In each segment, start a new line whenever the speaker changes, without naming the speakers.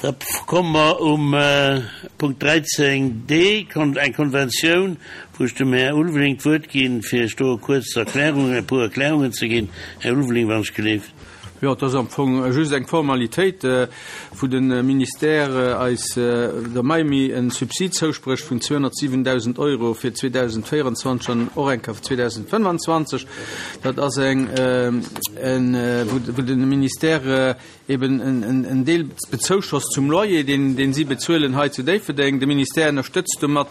Da komme mer um Punkt 13 d, eng Konventioun, wou ech dem Här Ulveling d'Wuert ginn, fir Iech do e kuerz Erklärungen, e puer Erklärungen ze ginn. Här Ulveling, wann ech gelift.
Jo, et ass am Fong just eng Formalitéit, wou de Ministère eis der Maimi e Subsid zousprécht vun 207.000 Euro fir 2024 an och eng Kéier fir 2025. Dat ass eng, wou de Ministère eben en Deel Bezouschoss zum Loyer, deen, deen si bezuelen hei zu Déifferdeng. De Ministère ënnerstëtzt domat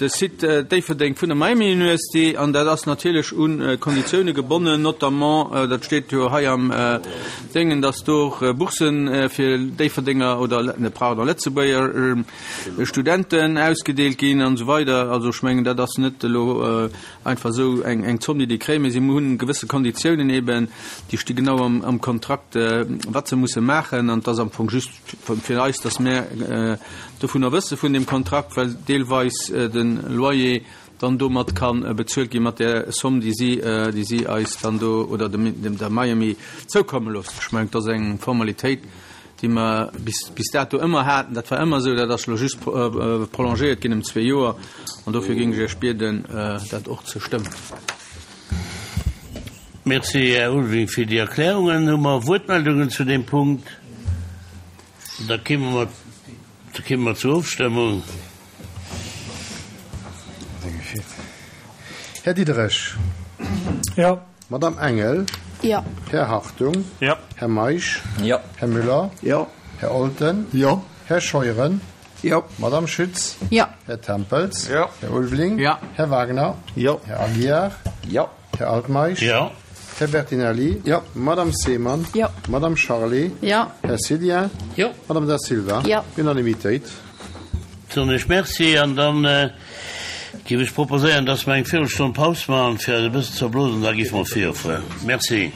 de Site Déifferdeng vun der Miami University an dat ass natierlech u Konditioune gebonnen, notamment, dat steet jo hei am Déngen, dass do och Boursen fir Déifferdenger oder, pardon, Lëtzebuerger Studenten ausgedeelt ginn an esou weider. Also ech mengen, dat ass net elo Einfach esou eng Zomm, déi déi kréien, mee si hunn gewësse Konditiounen eben, déi sti genau am Kontrakt, wat se musse maachen. An et ass am Fong just fir eis, datt mär dovunner wësse vun deem Kontrakt, well deelweis de Loyer dann domat ka bezuelt gi mat där Somm, déi si, déi si eis dann do oder dem der Miami zoukomme loossen. Ech mengen, et ass eng Formalitéit, déi mer bis dato ëmmer haten. Dat war ëmmer esou, dat ass elo just prolongéiert ginn ëm zwee Joer. An dofir géing ech Iech bieden, dat och ze stëmmen.
Merci, Här Ulveling, fir déi Erklärungen. Hu mer Wuertmeldungen zu deem Punkt? Da kéime mer, da kéime mer zur Ofstëmmung.
Här Diderich.
Jo.
Madame Engel.
Jo.
Här Hartung.
Jo.
Här Meisch.
Jo.
Här Müller.
Jo.
Här Olten.
Jo.
Här Scheuren.
Jo.
Madame Schütz.
Jo.
Här Tempels.
Jo.
Här Ulveling.
Jo.
Här Wagner.
Jo.
Här Aguiar.
Jo.
Här Altmeisch.
Jo.
Här Bertinelli.
Jo.
Madame Seemann.
Jo.
Madame Charlé.
Jo.
Här Cedien.
Jo.
Madame Da Silva.
Jo.
Unanimitéit.
Soen ech Merci an dann géif ech proposéieren, dass mer eng Virelstonn Paus maachen, fir eis e bëssen ze erblosen, da géife mer virfueren. Merci.